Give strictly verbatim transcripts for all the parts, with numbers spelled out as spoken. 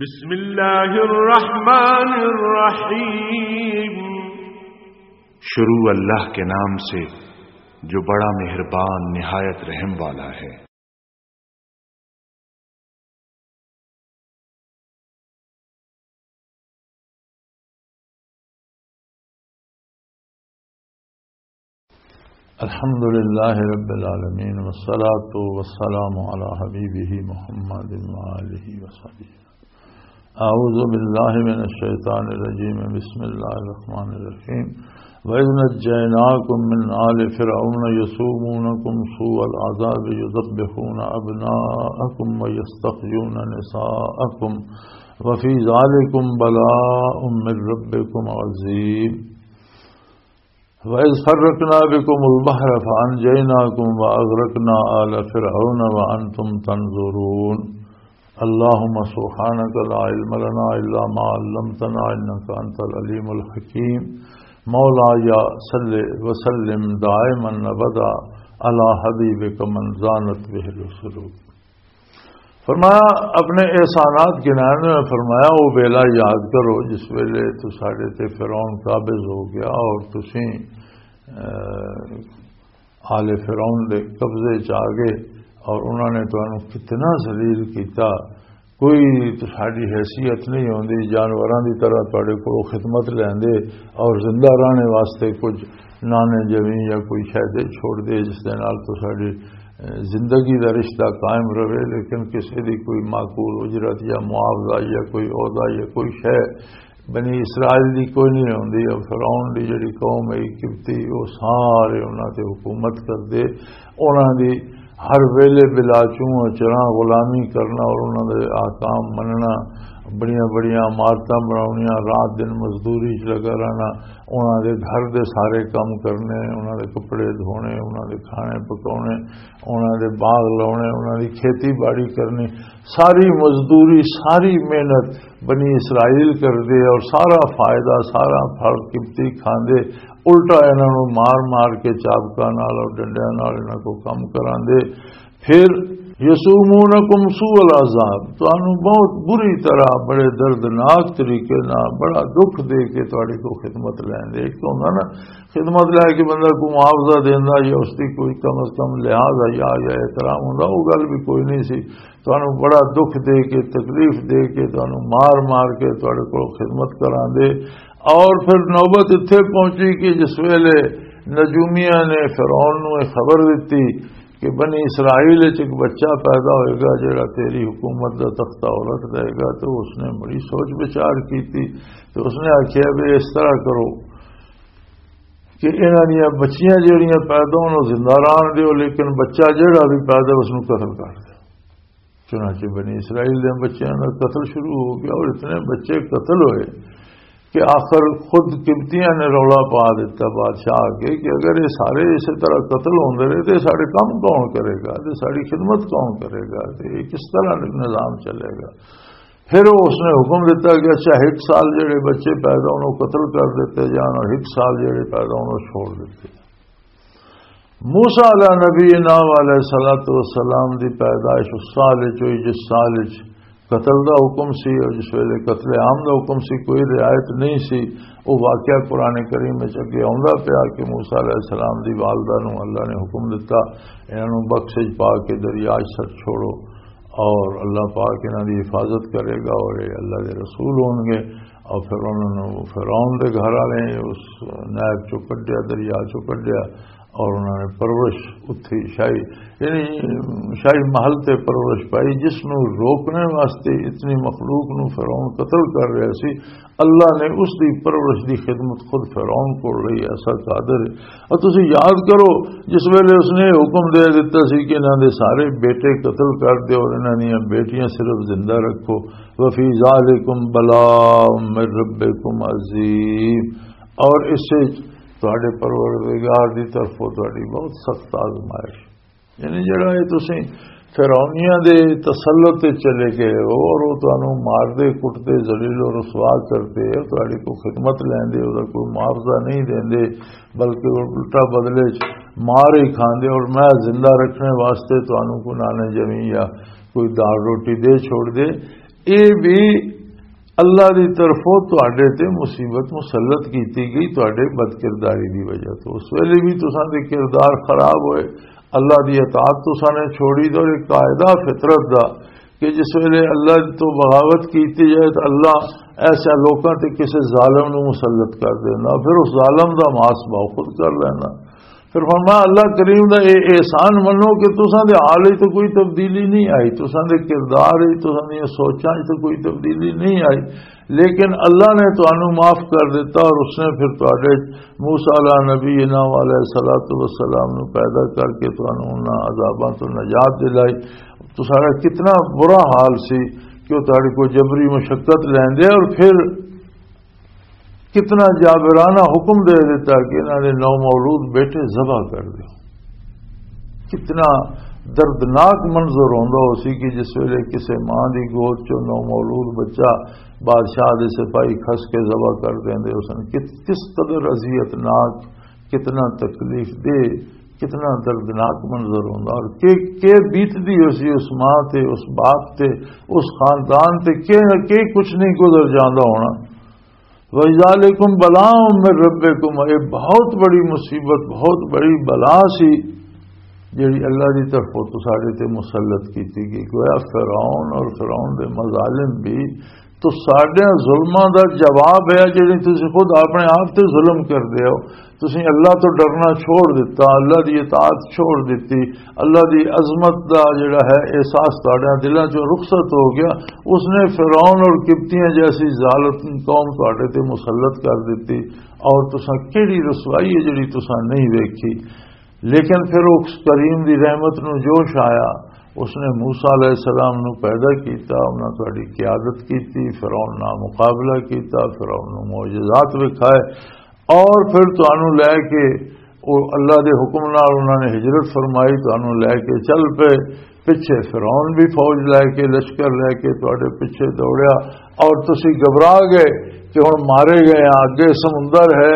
بسم اللہ الرحمن الرحیم۔ شروع اللہ کے نام سے جو بڑا مہربان نہایت رحم والا ہے۔ الحمد لله رب العالمين، والصلاة والسلام على حبيبه محمد وآله وصحبه. أعوذ بالله من الشيطان الرجيم. بسم الله الرحمن الرحيم. وإذ نجيناكم من آل فرعون يسومونكم سوء العذاب يذبحون أبناءكم ويستحيون نساءكم وفي ذلكم بلاء من ربكم عظيم. وإذ فرقنا بكم البحر فأنجيناكم وأغرقنا آل فرعون وأنتم تنظرون. اللهم سبحانك لا علم لنا إلا ما علمتنا إنك أنت العليم الحكيم. مولاي صل وسلم دائما أبدا على حبيبك من زانت به القلوب. فرمایا، اپنے احسانات گنان میں فرمایا، وہ ویلا یاد کرو جس ویلے تو ساڈے تے فرعون قابض ہو گیا اور تسی، اے، آل فرعون دے قبضے چ آ گئے اور انہوں نے تانوں کتنا ذلیل کیتا۔ کوئی تو ساڈی حیثیت نہیں ہوندی، جانوراں دی طرح تہاڈے کولوں خدمت لیندے اور زندہ رہنے واسطے کچھ نانے زمین یا کوئی شے دے چھوڑ دے جس دے نال تو ساڈی، اے، زندگی دا رشتہ قائم رہے، لیکن کسی دی کوئی معقول اجرت یا معاوضہ یا کوئی عہدہ یا کوئی شے بنی اسرائیل دی کوئی نہیں ہوندی۔ اور فرعون دی جڑی قوم ہے قبطی، وہ سارے انہاں تے حکومت کردے، انہاں دی ہر ویلے بلا چوں چراں غلامی کرنا اور انہاں دے احکام مننا، بڑیاں بڑیاں عمارتاں بناونیاں، رات دن مزدوری چ لگا رہنا، انہاں دے گھر دے سارے کم کرنے، انہاں دے کپڑے دھونے، انہاں دے کھانے پکاونے، انہاں دے باغ لاونے، انہاں دی کھیتی باڑی کرنی، ساری مزدوری، ساری محنت بنی اسرائیل کردے اور سارا فائدہ، سارا پھل قبطی کھاندے، الٹا انہاں نوں مار مار کے چابکاں نال اور ڈنڈیاں نال انہاں کو کم کراندے۔ پھر یسومونکم سوء العذاب، تانوں بہت بری طرح، بڑے دردناک طریقے نال، بڑا دکھ دے کے تہاڈی کو خدمت لیندے۔ ایک تو ہوندا نا، خدمت لے کے بندہ کو معاوضہ دیندا یا اس دی کوئی کم از کم لحاظ یا، یا احترام ہوندا، وہ گل بھی کوئی نہیں سی۔ تانوں بڑا دکھ دے کے، تکلیف دے کے، تانوں مار مار کے تہاڈے کول خدمت کراندے۔ اور پھر نوبت اتھے پہنچی کہ جس ویلے نجومیاں نے فرعون نوں یہ خبر دتی کہ بنی اسرائیل وچ ایک بچہ پیدا ہوئے گا جڑا تیری حکومت دا تختہ الٹ دے گا، تو اس نے بڑی سوچ بچار کیتی۔ تو اس نے آکھیا بھی اس طرح کرو کہ انہاں دیاں بچیاں جڑیاں پیدا ہون، او زندہ رہن دیو، لیکن بچہ جڑا بھی پیدا، اس نوں قتل کر دیو۔ چنانچہ بنی اسرائیل دے بچیاں دا قتل شروع ہو گیا اور اتنے بچے قتل ہوئے کہ آخر خود قبطیاں نے رولا پا دیتا بادشاہ آ کے کہ اگر یہ سارے اسی طرح قتل ہوندے رہے تو سارے کام کون کرے گا، تو ساری خدمت کون کرے گا، تو یہ کس طرح نظام چلے گا؟ پھر اس نے حکم دیتا کہ اچھا، ایک سال جڑے بچے پیدا ہونے قتل کر دیتے جان اور ایک سال جڑے پیدا ہونے چھوڑ دیتے۔ موسیٰ علیہ نبی نام علیہ الصلوۃ والسلام دی پیدائش اس سال وچ ہوئی جس سال وچ قتل دا حکم سی اور جس ویلے قتل عام دا حکم سی، کوئی رعایت نہیں سی۔ وہ واقعہ قرآن کریم وچ اگے آوندا پیا کہ موسیٰ علیہ السلام دی والدہ نوں اللہ نے حکم دتا، انہاں نوں بکس وچ پا کے دریا وچ سٹ چھوڑو اور اللہ پاک انہاں دی حفاظت کرے گا اور یہ اللہ دے رسول ہون گے۔ اور پھر انہاں نوں فرعون دے گھر والے اس نہر چوں کڈیا، دریا چوں کڈیا اور انہاں نے پرورش اتھی شاہی، یعنی شاہی محل تے پرورش پائی، جس نوں روکنے واسطے اتنی مخلوق نوں فرعون قتل کر رہا سی، اللہ نے اس دی پرورش دی خدمت خود فرعون کو لئی۔ ایسا قادر ہے۔ اور تسی یاد کرو، جس ویلے اس نے حکم دے دیتا سی کہ انہاں دے سارے بیٹے قتل کر دیو اور انہاں دیاں بیٹیاں صرف زندہ رکھو، وفی ذالکم بلاء من ربکم عظیم، اور اس سے تہاڈے پروردگار دی طرفوں تہاڈی بہت سخت آزمائش۔ یعنی جڑا یہ تسی فرعونیاں دے تسلط تے چلے گئے ہو اور وہ تانوں مار دے، کٹ دے، ذلیل و رسوا کر دے، تہاڈی کو خدمت لیندے، اوہدا کوئی معاوضہ نہیں دیندے، بلکہ الٹا بدلے چ مار ہی کھاندے اور میں زندہ رکھنے واسطے تانوں کوئی نانے زمین یا کوئی دال روٹی دے چھوڑ دے۔ یہ بھی اللہ دی طرفوں تواڈے تے مصیبت مسلط کیتی گئی، تواڈے بد کرداری دی وجہ تو۔ اس ویلے بھی تساں دے کردار خراب ہوئے، اللہ دی اطاعت تساں نے چھوڑی، تو ایک قاعدہ فطرت دا کہ جس ویلے اللہ تو بغاوت کیتی جائے تو اللہ ایسے لوکاں تے کسے ظالم نو مسلط کر دینا، پھر اس ظالم دا ماس باؤ خود کر لینا۔ پھر فرمایا، اللہ کریم دا اے احسان منو کہ تساں دے حال وچ تو کوئی تبدیلی نہیں آئی، تساں دے کردار وچ، تساں دیاں سوچاں وچ تو کوئی تبدیلی نہیں آئی، لیکن اللہ نے تانوں معاف کر دیتا اور اس نے پھر تواڈے موسیٰ علیہ نبینا علیہ الصلوۃ والسلام نو پیدا کر کے تانوں انہاں عذاباں تو نجات دلائی۔ تساڈا کتنا برا حال سی کہ وہ تہاڈے کو جبری مشقت لیندے اور پھر کتنا جابرانہ حکم دے دیتا کہ انہاں دے نو مولود بیٹے ذبح کر دیو۔ کتنا دردناک منظر ہوندا ہو سی کہ جس ویلے کسے ماں دی گود چوں نو مولود بچہ بادشاہ دے سپاہی کھس کے ذبح کر دیندے، اس نے کت-، کس قدر اذیت ناک، کتنا تکلیف دہ، کتنا دردناک منظر ہوندا، اور کہ، کہ بیتدی ہو سی اس ماں تے، اس باپ تے، اس خاندان تے، کہ نہ کہ کچھ نہیں گزر جاندا ہونا۔ وَذَٰلِكُمْ بَلَاءٌ مِّن رَّبِّكُمْ، یہ بہت بڑی مصیبت، بہت بڑی بلا سی جڑی اللہ دی طرفوں تو ساڈے تے مسلط کیتی گئی۔ گویا فرعون اور فرعون دے مظالم بھی تو ساڈے ظلماں دا جواب ہے، جڑی تسی خود اپنے آپ تے ظلم کردے ہو۔ تسی اللہ تو ڈرنا چھوڑ دیتا، اللہ دی اطاعت چھوڑ دتی، اللہ دی عظمت دا جڑا ہے احساس تہاڈے دلاں چوں رخصت ہو گیا۔ اس نے فرعون اور قبطیاں جیسی ظالم قوم تہاڈے تے مسلط کر دتی، اور تساں کیڑی رسوائی ہے جڑی تساں نہیں ویکھی۔ لیکن پھر اس کریم دی رحمت نو جوش آیا، اس نے موسیٰ علیہ السلام نو پیدا کیتا، انہاں تہاڈی قیادت کیتی، فرعون نال مقابلہ کیتا، فرعون نو معجزات وکھائے، اور پھر تانوں لے کے، او اللہ دے حکم نال انہاں نے ہجرت فرمائی، تانوں لے کے چل پے۔ پچھے فرعون بھی فوج لے کے، لشکر لے کے تواڈے پچھے دوڑیا، اور تسی گھبرا گئے کہ ہن مارے گئے ہاں، اگے سمندر ہے،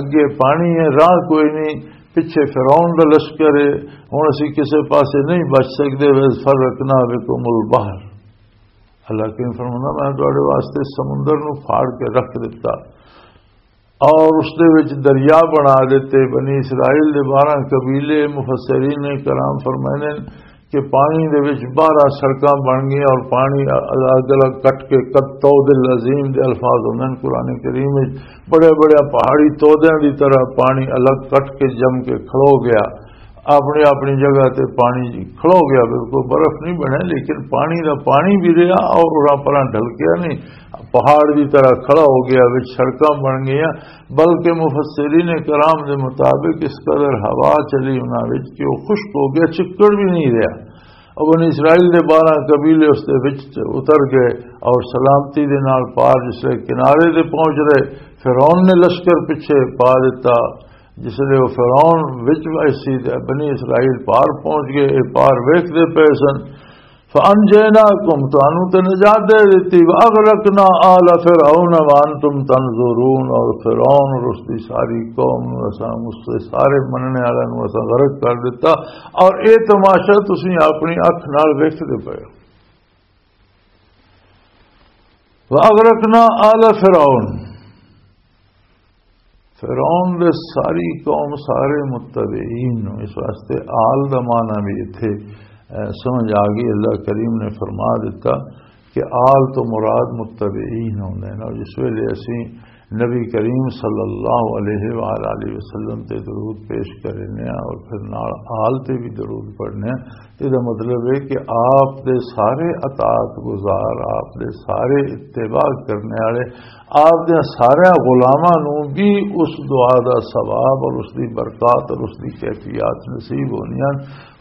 اگے پانی ہے، راہ کوئی نہیں، پچھے فرعون دا لشکر ہے، ہن اسی کسے پاسے نہیں بچ سکدے۔ وَإِذْ فَرَّقْنَا بِكُمُ الْبَحْرَ، اللہ کریم فرماتا، میں تواڈے واسطے سمندر نو پھاڑ کے رکھ دتا اور اس دے وچ دریا بنا دیتے۔ بنی اسرائیل دے بارہ قبیلے، مفسرین کرام فرماندے نے کہ پانی دے وچ بارہ سڑکاں بن گئیاں اور پانی الگ الگ کٹ کے، قد طود العظیم دے الفاظ ہوندے نے قرآن کریم وچ، بڑے بڑے پہاڑی تودیاں دی طرح پانی الگ کٹ کے جم کے کھلو گیا، اپنی اپنی جگہ تے پانی جی کھلو گیا، بالکل برف نہیں بنے، لیکن پانی دا پانی بھی رہا اور اراں پراں ڈھلکیا نہیں، پہاڑ دی طرح کھڑا ہو گیا، وچ سڑکاں بن گئیاں۔ بلکہ مفسرین کرام دے مطابق اس قدر ہوا چلی انہاں وچ کہ وہ خشک ہو گیا، چکڑ بھی نہیں رہا۔ اور بنی اسرائیل دے بارہ قبیلے اس دے وچ اتر گئے اور سلامتی دے نال پار جس لے کنارے دے پہنچ رہے، فرعون نے لشکر پیچھے پا دیتا۔ جس لے وہ فرعون وچ ایسی تے بنی اسرائیل پار پہنچ گئے، یہ پار ویکھدے پئے سن۔ فَأَنْجَيْنَاكُمْ، تانوں تے نجات دے دتی، وَأَغْرَقْنَا آلَ فِرْعَوْنَ وَأَنْتُمْ تَنْظُرُونَ، اور فرعون اور اس دی ساری قوم نوں اساں، اس دے سارے مننے والے نوں اساں غرق کر دتا، اور اے تماشا تسی اپنی اکھ نال ویکھدے پئے ہو۔ وَأَغْرَقْنَا آلَ فِرْعَوْنَ، فرعون دے ساری قوم، سارے متبعین نوں، اس واسطے آل دا معنی بھی اتھے، اے، سمجھ آ گئی۔ اللہ کریم نے فرما دیتا کہ آل تو مراد متبعین ہوندے نے۔ اور جس ویلے اسی نبی کریم صلی اللہ علیہ وآلہ وسلم تے درود پیش کرنے ہیں اور پھر نال آل تے بھی درود پڑھنے ہیں، تے دا مطلب ہے کہ آپ دے سارے اطاعت گزار، آپ دے سارے اتباع کرنے والے، آپ دے سارے غلاماں نوں بھی اس دعا دا ثواب اور اس دی برکات اور اس دی کیفیات نصیب ہونی ہیں،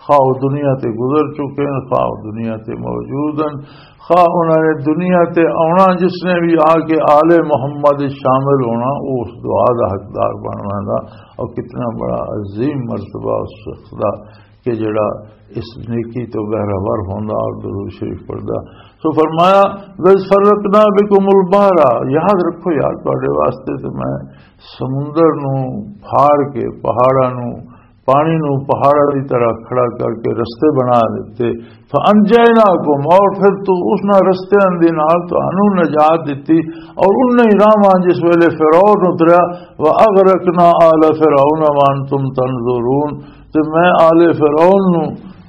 خواہ وہ دنیا تے گزر چکے ہیں، خواہ وہ دنیا تے موجود ہیں، خواہ انہاں نے دنیا تے آنا، جس نے بھی آ کے آل محمد شامل ہونا، وہ اس دعا دا حقدار بن ویندا۔ اور کتنا بڑا عظیم مرتبہ اس شخص دا کہ جڑا اس نیکی تو بہرہ ور ہوندا اور درود شریف پڑھدا۔ سو فرمایا، "وَإِذْ فَرَّقْنَا بِكُمُ الْبَحْرَ"، یاد رکھو یار، تواڈے واسطے تے میں سمندر نو پھاڑ کے، پہاڑاں نو پانی نو پہاڑاں دی طرح کھڑا کر کے رستے بنا دتے۔ فَأَنْجَيْنَاكُمْ، اور پھر تو اس نال رستیاں دے نال تانوں نجات دتی، اور انہاں ہی راہواں جس ویلے فرعون اتریا، وَأَغْرَقْنَا آلَ فِرْعَوْنَ وَأَنْتُمْ تَنْظُرُونَ، تے میں آل فرعون نو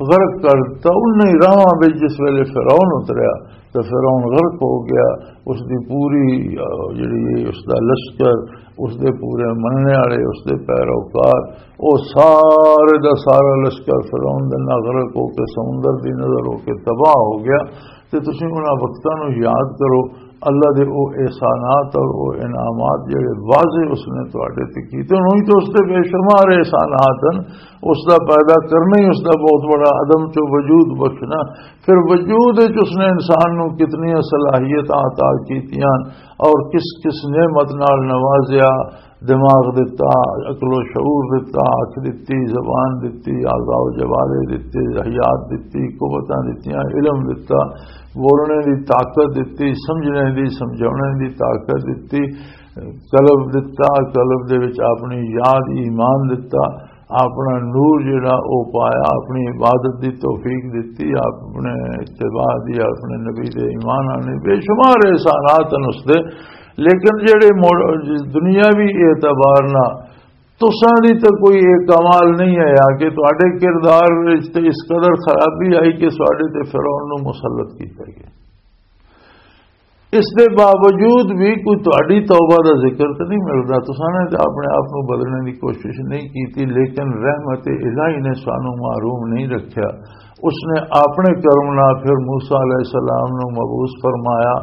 غرق کر دتا انہاں ہی راہواں وچ جس ویلے فرعون اتریا۔ تے فرعون غرق ہو گیا، اس دی پوری، آ، جڑی ہے، اس دا لشکر، اس دے پورے مننے والے، اس دے پیروکار، او سارے دا سارا لشکر فرعون دے نال غرق ہو کے، سمندر دی نظر ہو کے تباہ ہو گیا۔ تے تسی انہاں وقتاں نو یاد کرو، اللہ دے او احسانات اور او انعامات جڑے واضح اس نے تواڈے تے کیتے، انہوں ہی تو اس دے بے شمار احسانات ہیں۔ اس دا پیدا کرنا ہی اس دا بہت بڑا عدم چو وجود بخشنا۔ پھر وجود وچ اس نے انسان نو کتنی صلاحیتاں عطا کیتیاں اور کس کس نعمت نال نوازیا، دماغ دتا، عقل و شعور دتا، اکھ دتی، زبان دتی، اعضاء و جوارح دتے، حیات دتی، قوتاں دتیاں، علم دتا، بولنے دی طاقت دتی، سمجھنے دی، سمجھاونے دی طاقت دتی، قلب دتا، قلب دے وچ اپنی یاد، ایمان دتا، اپنا نور جڑا او پایا، اپنی عبادت دی توفیق دتی، اپنے اتباع دی، اپنے نبی دے ایمان آنے، بے شمار احسانات ہیں اس دے۔ لیکن جڑے مو-، دنیاوی اعتبار نہ تساں دی تے کوئی ایک کمال نہیں آیا کہ تہاڈے کردار وچ تے اس قدر خرابی آئی کہ تہاڈے تے فرعون نو مسلط کیتا گیا۔ اس دے باوجود بھی کوئی تہاڈی توبہ دا ذکر تے نہیں ملدا۔ تساں نے تے اپنے آپ نو بدلنے دی کوشش نہیں کیتی، لیکن رحمت الہی نے سانو محروم نہیں رکھیا۔ اس نے اپنے کرم نال پھر موسیٰ علیہ السلام نو مبعوث فرمایا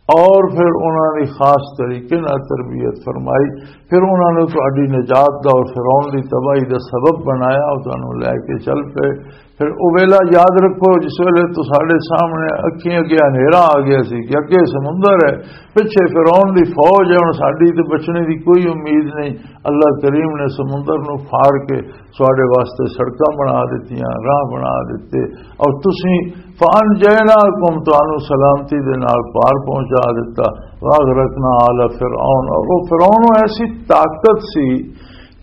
اور پھر انہاں دی خاص طریقے نال تربیت فرمائی، پھر انہاں نو تہاڈی نجات دا اور فرعون دی تباہی دا سبب بنایا، او تانوں لے کے چل پئے۔ پھر او ویلا یاد رکھو جس ویلے تو ساڈے سامنے اکھیں اگے ہنیرا آ گیا سی کہ اگے سمندر ہے، پچھے فرعون دی فوج ہے، ہن ساڈی تے بچنے دی کوئی امید نہیں۔ اللہ کریم نے سمندر نو پھاڑ کے ساڈے واسطے سڑکاں بنا دتیاں، راہ بنا دتے، اور تسی فَأَنْجَيْنَاكُمْ، تانوں سلامتی دے نال پار پہنچا دتا، وَأَغْرَقْنَا آلَ فِرْعَوْنَ، اور وہ فرعون ایسی طاقت سی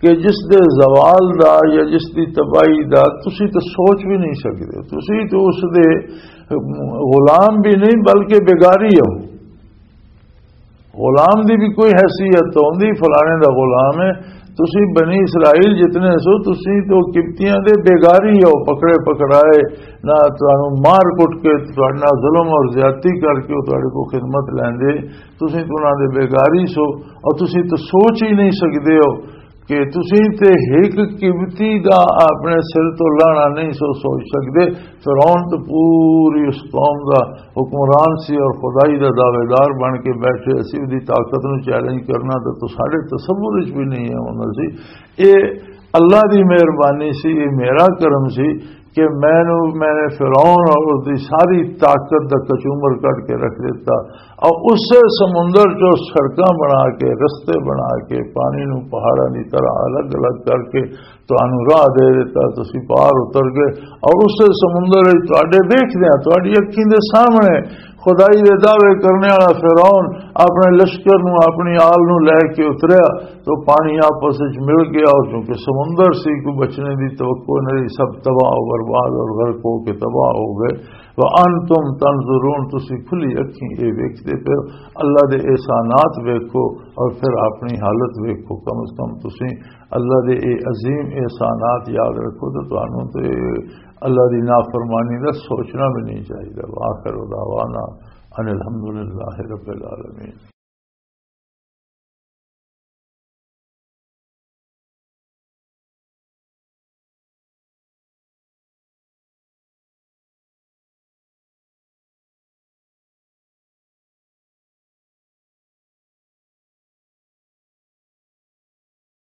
کہ جس دے زوال دا یا جس دی تباہی دا تسی تے سوچ بھی نہیں سکدے۔ تسی تے اس دے غلام بھی نہیں بلکہ بیگاری ہو۔ غلام دی بھی کوئی حیثیت تو ہوندی، فلانے دا غلام ہے۔ تسی بنی اسرائیل جتنے سو، تسی تو قبطیاں دے بیگاری ہو، پکڑے پکڑائے، نہ تانوں مار کٹ کے، تہاڈے نال ظلم اور زیادتی کر کے او تہاڈے کو خدمت لیندے۔ تسی تو انہاں دے بیگاری سو، اور تسی تو سوچ ہی نہیں سکدے ہو کہ تسی تے ہک قبطی دا اپنے سر تو لانا نہیں سو سوچ سکدے۔ فرعون تو پوری اس قوم دا حکمران سی اور خدائی دا دعویدار بن کے بیٹھے سی، اودی طاقت نو چیلنج کرنا تے تو ساڈے تصور وچ بھی نہیں ہے ہوندا سی۔ اے اللہ دی مہربانی سی، اے میرا کرم سی کہ مینوں، میں نے فرعون اور اس دی ساری طاقت دا کچومر کڈ کے رکھ دتا، اور اسے سمندر چوں سڑکاں بنا کے، رستے بنا کے، پانی نو پہاڑاں دی طرح الگ الگ کر کے تانوں راہ دے دتا، تسی پار اتر گئے۔ اور اسے سمندر وچ تہاڈے ویکھدیاں، تہاڈی اکھیں دے سامنے خدائی دے دعوے کرنے والا فرعون اپنے لشکر نو، اپنی آل نو لے کے اتریا، تو پانی آپس وچ مل گیا، اور چونکہ سمندر سی، کوئی بچنے دی توقع نہیں، سب تباہ و برباد اور غرق ہو کے تباہ ہو گئے۔ وَأَنْتُمْ تَنْظُرُونَ، تسی کھلی اکھیں اے ویکھدے پئے ہو۔ اللہ دے احسانات ویکھو اور پھر اپنی حالت ویکھو۔ کم از کم تسی اللہ دے اے عظیم احسانات یاد رکھو تے تانوں تے اللہ دی نافرمانی دا سوچنا بھی نہیں چاہیدا۔ وآخر دعوانا ان الحمدللہ رب العالمین۔